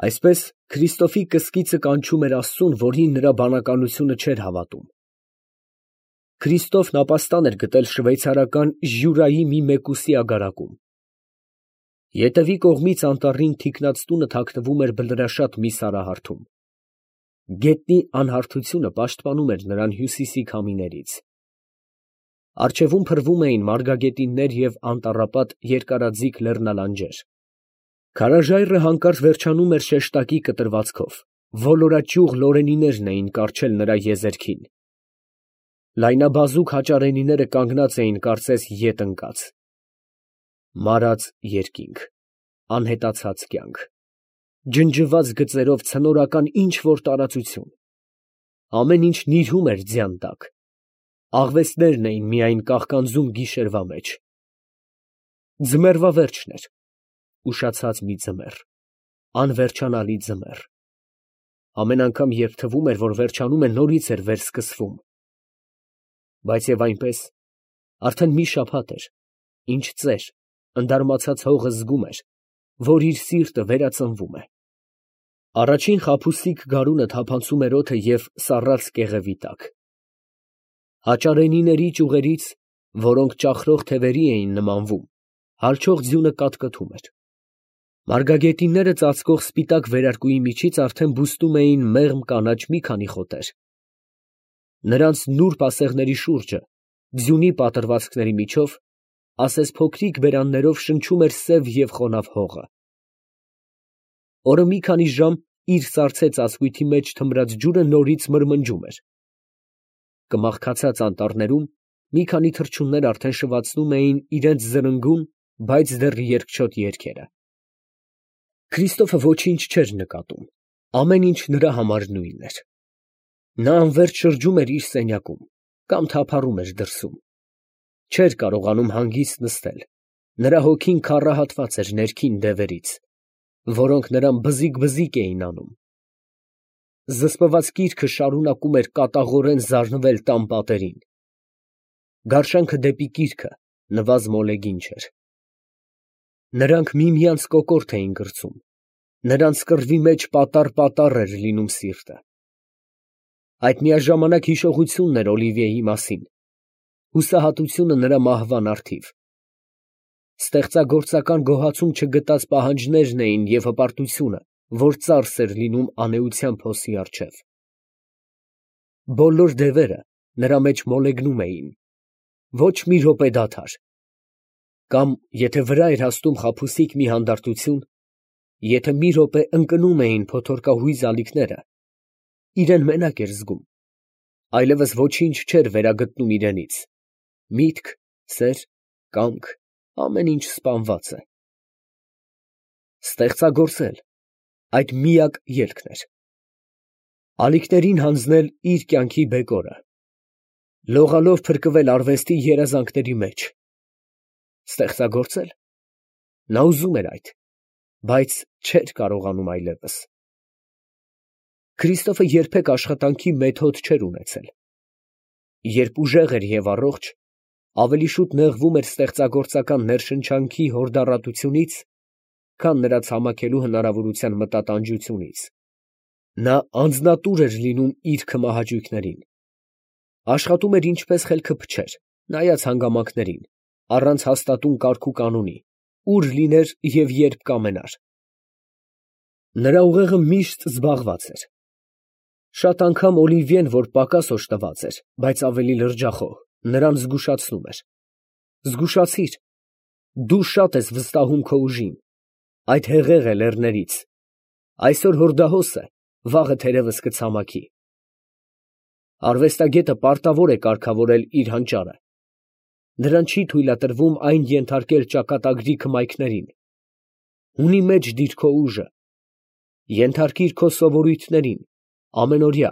Այսպես Քրիստոֆի կսկիծը կանչում էր Աստծուն, որին նրա բանականությունը չէր հավատում։ Քրիստոֆն ապաստան էր գտել շվեյցարական Ժյուրայի մի մեկուսի ագարակում։ Ետևի կողմից անտառին թիկնած տունը թաքնվում էր բլրաշատ մի սարահարթում։ Գետնի անհարթությունը պաշտպանում էր նրան հյուսիսի քամիներից։ Առջևում փռվում էին մարգագետիններ և անտառապատ երկարաձիգ լեռնալանջեր։ Քարաժայռը հանկարծ վերջանում էր շեշտակի կտրվածքով, ոլորաճյուղ լորենիներն էին կառչել նրա եզերքին։ Լայնաբազուկ հաճարենիները կանգնած էին կարծես ետ ընկած։ Մարած երկինք, անհետացած կյանք, ջնջված գծերով ցնորական ինչ֊որ տարածություն, ամեն ինչ նիրհում էր ձյան տակ, աղվեսներն էին միայն կաղկանձում գիշերվա մեջ։ Ձմեռվա վերջն էր, ուշացած մի ձմեռ, անվերջանալի ձմեռ։ Ամեն անգամ, երբ թվում էր, որ վերջանում է, նորից էր վերսկսվում։ Բայց և այնպես, արդեն մի շաբաթ էր, ինչ ծեր, ընդարմացած հողը զգում էր, որ իր սիրտը վերածնվում է։ Առաջին խաբուսիկ գարունը թափանցում էր օդը և սառած կեղևի տակ։ Հաճարենիների ճյուղերից, որոնք ճախրող թևերի էին նմանվում, հալչող ձյունը կատկտում էր։ Մարգագետինները ծածկող սպիտակ վերարկուի միջից արդեն բուստում էին մեղմ կանաչ մի քանի խոտեր։ Նրանց նուրբ ասեղների շուրջը, ձյունի պատրվացքների միջով, ասես փոքրիկ բերաններով շնչում էր սև և խոնավ հողը։ Օրը մի քանի ժամ իր սառցե ծածկույթի մեջ թմրած ջուրը նորից մրմնջում էր։ Կմախքացած անտառներում մի քանի թռչուններ արդեն շվացնում էին իրենց զրնգուն, բայց դեռ երկչոտ երգերը։ Քրիստոֆը ոչինչ չէր նկատում, ամեն ինչ նրա համար նույնն էր։ Նա անվերջ շրջում էր իր սենյակում կամ թափառում էր դրսում։ Չէր կարողանում հանգիստ նստել, նրա հոգին քառահատված էր ներքին դևերից, որոնք նրան բզիկ էին անում։ Զսպված կիրքը շարունակում էր կատաղորեն զարնվել տան պատերին։ Գարշանքը դեպի կիրքը նվազ մոլեգին չէր։ Նրանք միմյանց կոկորդ էին կրծում, նրանց կռվի մեջ պատառ էր լինում սիրտը։ Այդ միաժամանակ հիշողությունն էր Օլիվիեի մասին, հուսահատությունը նրա մահվան առթիվ։ Ստեղծագործական գոհացում չգտած պահանջներն էին և հպարտությունը, որ ծարս էր լինում անէության փոսի առջև։ Բոլոր դևերը նրա մեջ մոլեգնում էին, ոչ մի րոպե դադար։ Կամ եթե վրա էր հասնում խաբուսիկ մի հանդարտություն, եթե մի րոպե ընկնում էին փոթորկահույզ ալիքները, իրան մենակ էր զգում, այլևս ոչինչ չէր վերագտնում իրենից, միտք, սեր, կամք, ամեն ինչ սպանված է։ Ստեղծագործել, այդ միակ ելքն էր։ Ալիքներին հանձնել իր կյանքի բեկորը, լողալով փրկվել արվեստի երազանքների մեջ։ Ստեղծագործել, նա ուզում էր այդ, բայց չէր կարողանում այլևս։ Քրիստոֆը երբեք աշխատանքի մեթոդ չէր ունեցել։ Երբ ուժեղ էր և առողջ, ավելի շուտ նեղվում էր ստեղծագործական ներշնչանքի հորդառատությունից, քան նրա ցամաքելու հնարավորության մտատանջությունից։ Նա անձնատուր էր լինում իր քմահաճույքներին։ Աշխատում էր ինչպես խելքը փչեր, նայած հանգամանքներին, առանց հաստատուն կարգուկանոնի, ուր լիներ և երբ կամենար։ Նրա ուղեղը միշտ զբաղված էր։ Շատ անգամ Օլիվիեն, որ պակաս օժտված էր, բայց ավելի լրջախոհ, նրան զգուշացնում էր. «Զգուշացիր, դու շատ ես վստահում քո ուժին, այդ հեղեղ է լեռներից, այսօր հորդահոս է, վաղը թերևս կցամաքի»։ Արվեստագետը պարտավոր է կարգավորել իր հանճարը։ Նրան չի թույլատրվում այն ենթարկել ճակատագրի քմայքներին։ Հունի մեջ դիր քո ուժը, ենթարկիր քո սովորույթներին, ամենօրյա,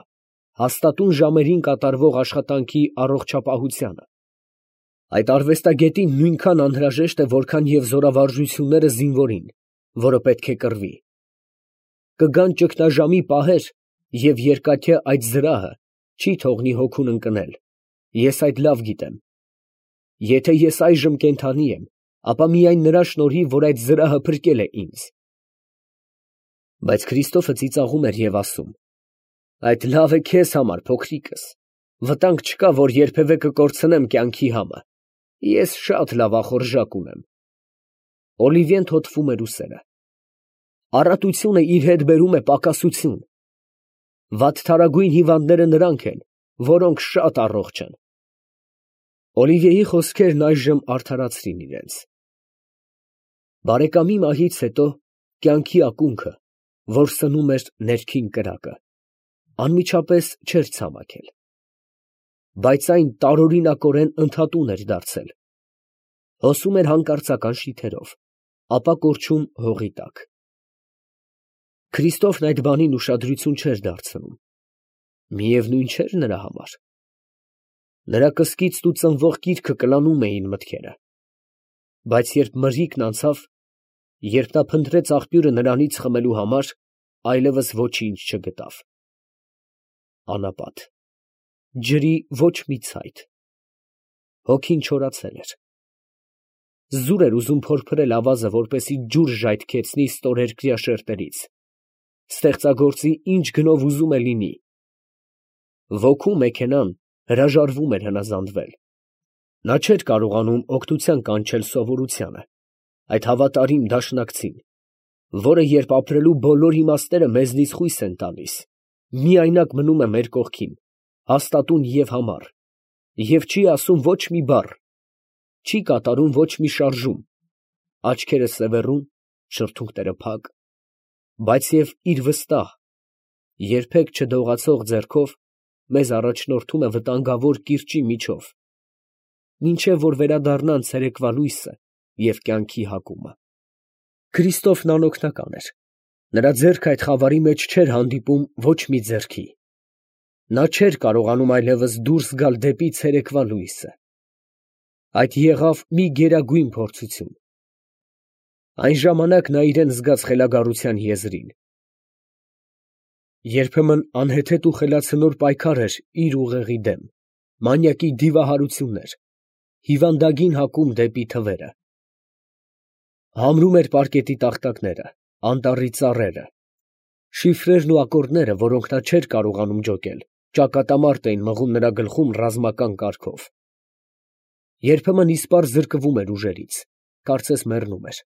հաստատուն ժամերին կատարվող աշխատանքի առողջապահությանը։ Այդ արվեստագետին նույնքան անհրաժեշտ է, որքան և զորավարժությունները զինվորին, որը պետք է կռվի։ Կգան ճգնաժամի պահեր, և երկաթե այդ զրահը չի թողնի հոգուն ընկնել, ես այդ լավ գիտեմ։ Եթե ես այժմ կենդանի եմ, ապա միայն նրա շնորհիվ, որ այդ զրահը փրկել է ինձ։ Բայց Քրիստոֆը ծիծաղում էր և ասում. այդ լավ է քեզ համար, փոքրիկս, վտանգ չկա, որ երբևէ կկորցնեմ կյանքի համը, ես շատ լավ ախորժակ ունեմ։ Օլիվիեն թոթվում էր ուսերը։ Առատությունը իր հետ բերում է պակասություն։ Վատթարագույն հիվանդները նրանք են, որոնք շատ առողջ են։ Օլիվիեի խոսքերն այժմ արդարացրին իրենց։ Բարեկամի մահից հետո կյանքի ակունքը, որ սնում էր ներքին կրակը, անմիջապես չէր ցամաքել, բայց այն տարօրինակորեն ընդհատուն էր դարձել, հոսում էր հանկարծական շիթերով, ապա կորչում հողի տակ։ Քրիստոֆն այդ բանին ուշադրություն չէր դարձնում, միևնույն չէր նրա համար։ Նրա կսկիծն ու ծնվող կիրքը կլանում էին մտքերը, բայց երբ մրրիկն անցավ, երբ նա փնտրեց աղբյուրը նրանից խմելու համար, այլևս ոչինչ չգտավ։ Անապատ, ջրի ոչ մի ցայտ, հոգին չորացել էր։ Զուր էր ուզում փորփրել ավազը, որպեսզի ջուր ժայթքեցնի ստորերկրյա շերտերից, ստեղծագործի ինչ գնով ուզում է լինի։ Ոգու մեքենան հրաժարվում էր հնազանդվել։ Նա չէր կարողանում օգնության կանչել սովորությանը, այդ հավատարիմ դաշնակցին, որը երբ ապրելու բոլոր իմաստները մեզնից խույս են տալիս, միայնակ մնում է մեր կողքին, հաստատուն և համառ, և չի ասում ոչ մի բառ, չի կատարում ոչ մի շարժում, աչքերը սևեռուն, շրթունքները փակ, բայց և իր վստահ, երբեք չդողացող ձեռքով մեզ առաջնորդում է վտանգավոր կիրճի միջով, մինչև որ վերադառնան ցերեկվա լույսը և կյանքի հակումը։ Քրիստոֆն անօգնական էր, նրա ձեռքը այդ խավարի մեջ չէր հանդիպում ոչ մի ձեռքի, նա չէր կարողանում այլևս դուրս գալ դեպի ցերեկվա լույսը։ Այդ եղավ մի գերագույն փորձություն։ Այն ժամանակ նա իրան զգաց խելագարության եզրին։ Երբեմն անհեթեթ ու խելացնոր պայքար էր իր ուղեղի դեմ, մանյակի դիվահարություններ, հիվանդագին հակում դեպի թվերը։ Համրում էր պարկետի տախտակները, անտառի ծառերը, շիֆրերն ու ակորդները, որոնք նա չէր կարողանում ջոկել, ճակատամարտ էին մղում նրա գլխում ռազմական կարգով։ Երբեմն իսպառ զրկվում էր ուժերից, կարծես մեռնում էր։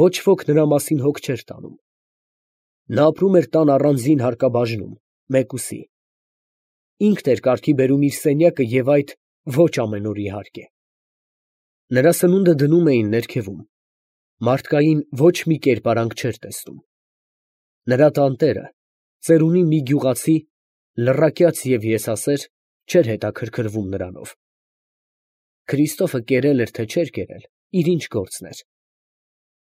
Ոչ ոք նրա մասին հոգ չէր տանում։ Նա ապրում էր տան առանձին հարկաբաժնում, մեկուսի։ Ինքն էր կարգի բերում իր սենյակը և այդ ոչ ամեն օր իհարկե։ Նրա սնունդը դնում էին ներքևում, մարդկային ոչ մի կերպարանք չէր տեսնում։ Նրա տանտերը, ծերունի մի գյուղացի, լռակյաց և եսասեր, չէր հետաքրքրվում նրանով։ Քրիստոֆը կերել էր, թե չէր կերել, իր ինչ գործն էր։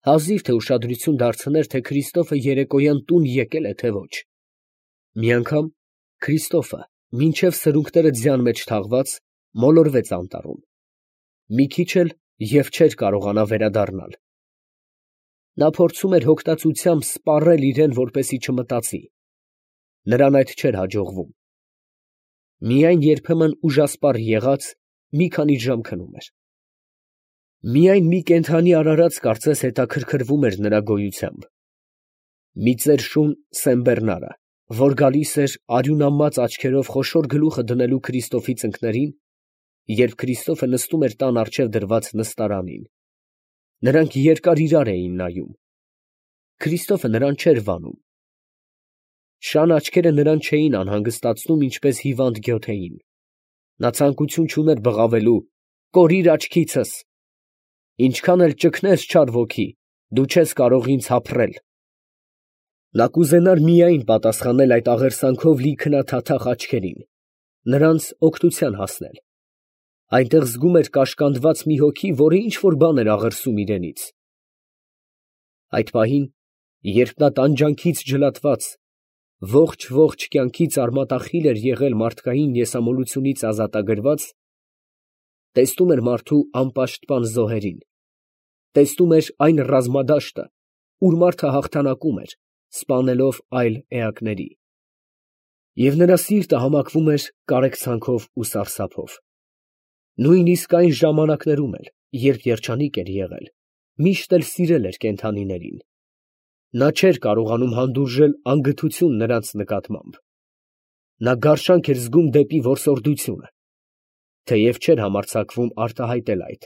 Հազիվ թե ուշադրություն դարձներ, թե Քրիստոֆը երեկոյան տուն եկել է, թե ոչ։ Մի անգամ Քրիստոֆը, մինչև սրունքները ձյան մեջ թաղված, մոլորվեց անտառում։ Մի քիչ էլ և չէր կարողանա վերադառնալ։ Նա փորձում էր հոգտածությամբ սպառել իրան, որպեսզի չմտածի։ Նրան այդ չէր հաջողվում։ Միայն երբեմն ուժասպառ եղած, մի քանի ժամ քնում էր։ Միայն մի կենդանի արարած կարծես հետաքրքրվում էր նրա գոյությամբ։ Մի ծեր շուն սենբեռնարը, որ գալիս էր արյունամած աչքերով խոշոր գլուխը դնելու Քրիստոֆի ծնկներին, երբ Քրիստոֆը նստում էր տան առջև դրված նստարանին։ Նրանք երկար իրար էին նայում։ Քրիստոֆը նրան չէր վանում։ Շան աչքերը նրան չէին անհանգստացնում, ինչպես հիվանդ գյոթեին։ Նա ցանկություն չուներ բղավելու. «Կորիր աչքիցս, ինչքան էլ ճգնես չար ոգի, դու չես կարող ինձ հափռել»։ Նա կուզենար միայն պատասխանել այդ աղերսանքով լի քնաթաթախ աչքերին, նրանց օգնության հասնել։ Այնտեղ զգում էր կաշկանդված մի հոգի, որը ինչ֊որ բան էր աղերսում իրենից։ Այդ պահին, երբ նա տանջանքից ջլատված, ողջ կյանքից արմատախիլ էր եղել մարդկային եսամոլությունից ազատագրված, տեսնում էր մարդու անպաշտպան զոհերին, տեսնում էր այն ռազմադաշտը, ուր մարդը հաղթանակում էր, սպանելով այլ էակների։ Եվ նրա սիրտը համակվում էր կարեկցանքով ու սարսափով։ Նույնիսկ այն ժամանակներում էլ, երբ երջանիկ էր եղել, միշտ էլ սիրել էր կենդանիներին։ Նա չէր կարողանում հանդուրժել անգթություն նրանց նկատմամբ. նա գարշանք էր զգում դեպի որսորդությունը, թեև չէր համարձակվում արտահայտել այդ,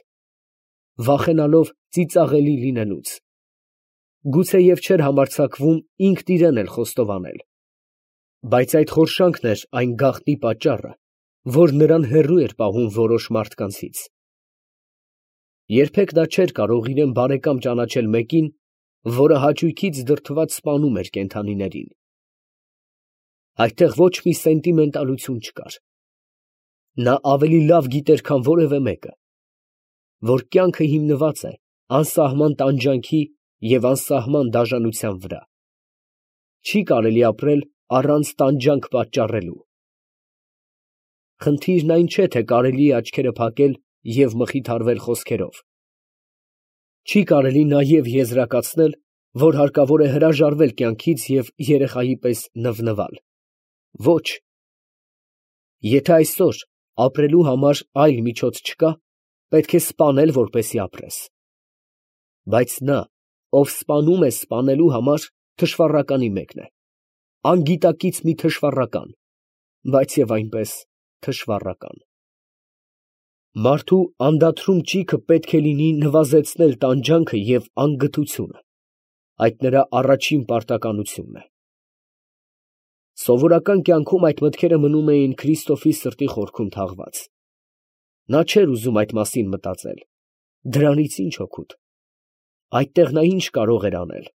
վախենալով ծիծաղելի լինելուց, գուցեև չէր համարձակվում ինքն իրեն էլ խոստովանել, բայց այդ խորշանքն էր այն գաղտնի պատճառը, որ նրան հեռու էր պահում որոշ մարդկանցից։ Երբեք նա չէր կարող իրեն բարեկամ ճանաչել մեկին, որը հաճույքից դրդված սպանում էր կենդանիներին։ Այդտեղ ոչ մի սենտիմենտալություն չկար։ Նա ավելի լավ գիտեր, քան որևէ մեկը, որ կյանքը հիմնված է անսահման տանջանքի և անսահման դաժանության վրա։ Չի կարելի ապրել առանց տանջանք պատճառելու։ Խնդիրն այն չէ, թե կարելի է աչքերը փակել և մխիթարվել խոսքերով։ Չի կարելի նաև եզրակացնել, որ հարկավոր է հրաժարվել կյանքից և երեխայի պես նվնվալ։ Ոչ։ Եթե այսօր ապրելու համար այլ միջոց չկա, պետք է սպանել, որպեսզի ապրես։ Բայց նա, ով սպանում է սպանելու համար, թշվառականի մեկն է, անգիտակից մի թշվառական, բայց և այնպես թշվառական։ Մարդու անդադրում ճիգը պետք է լինի նվազեցնել տանջանքը և անգթությունը, այդ նրա առաջին պարտականությունն է։ Սովորական կյանքում այդ մտքերը մնում էին Քրիստոֆի սրտի խորքում թաղված։ Նա չէր ուզում այդ մասին մտածել, դրանից ի՞նչ օգուտ։ Այդտեղ նա ի՞նչ կարող էր անել։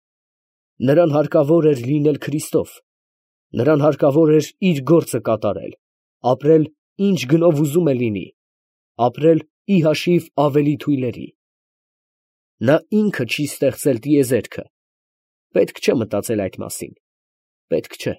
Նրան հարկավոր էր լինել Քրիստով, նրան հարկավոր էր իր գործը կատարել, ապրել ինչ գնով ուզում է լինի, ապրել ի հաշիվ ավելի թույլերի։ Նա ինքը չի ստեղծել տիեզերքը, պետք չէ մտածել այդ մասին, պետք չէ։